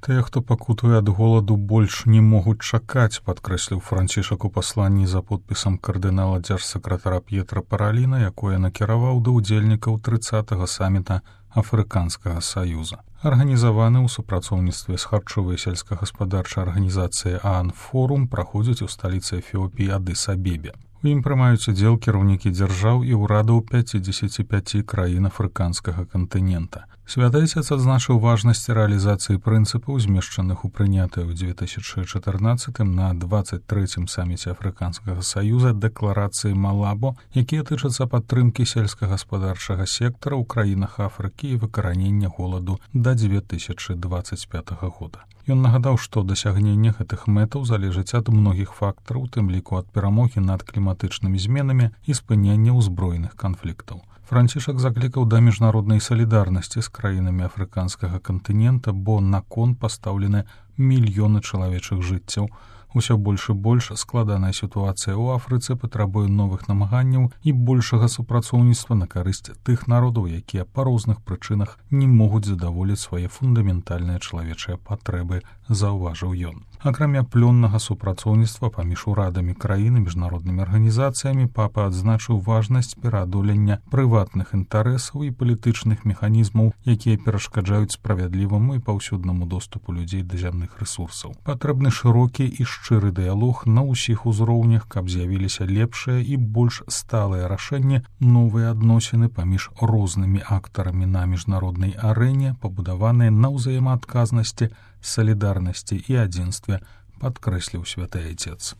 Тыя, хто пакутуе ад голаду, больш не могуць чакаць, падкрэсліў Францішак у пасланні за подпісам кардынала дзяржсакратара П'етра Параліна, якое накіраваў да ўдзельнікаў 30-го саміта Афрыканскага саюза. Арганізаваны ў супрацоўніцтве з харчовай сельскагаспадарчай арганізацыяй ААН-форум праходзіць у сталіцы Эфіопіі Адыс-Абебе. У ім прымаюць удзел кіраўнікі дзяржаў і ўрадаў 55 краін афрыканскага кантынента. Святы Отец адзначыў важнасць рэалізацыі прынцыпаў, змешчаных у прынятай ў 2014 на 23-м саміце Афрыканскага саюза дэкларацыі Малабо, якія тычацца падтрымкі сельскагаспадарчага сектара ў краінах Афрыкі і выкаранення голаду да 2025 года. Ён нагадаў, што дасягненне гэтых мэтаў залежыць ад многіх фактараў, у тым ліку ад перамогі над кліматычнымі зменамі і спынення ўзброеных канфліктаў. Францішак заклікаў да міжнароднай салідарнасці з краінамі афрыканскага кантынента, бо на кон пастаўлены мільёны чалавечых жыццяў. Усё больш і больш складаная сітуацыя ў Афрыцы патрабуе новых намаганняў і большага супрацоўніцтва на карысць тых народаў, якія па розных прычынах не могуць задаволіць свае фундаментальныя чалавечыя патрэбы, заўважыў ён. Акрамя плённага супрацоўніцтва паміж урадамі краін і міжнароднымі арганізацыямі, папа адзначыў важнасць пераадолення прыватных інтарэсаў і палітычных механізмаў, якія перашкаджаюць справядліваму і паўсюднаму доступу людзей да зямных рэсурсаў. Патрэбны шырокі і шчыры дыялог на ўсіх узроўнях, каб з'явіліся лепшыя і больш сталыя рашэнні, новыя адносіны паміж рознымі актарамі на міжнароднай арэне, пабудаваныя на ўзаемаадказнасці, салідарнасці і адзінстве, падкрэсліў Святы Отец.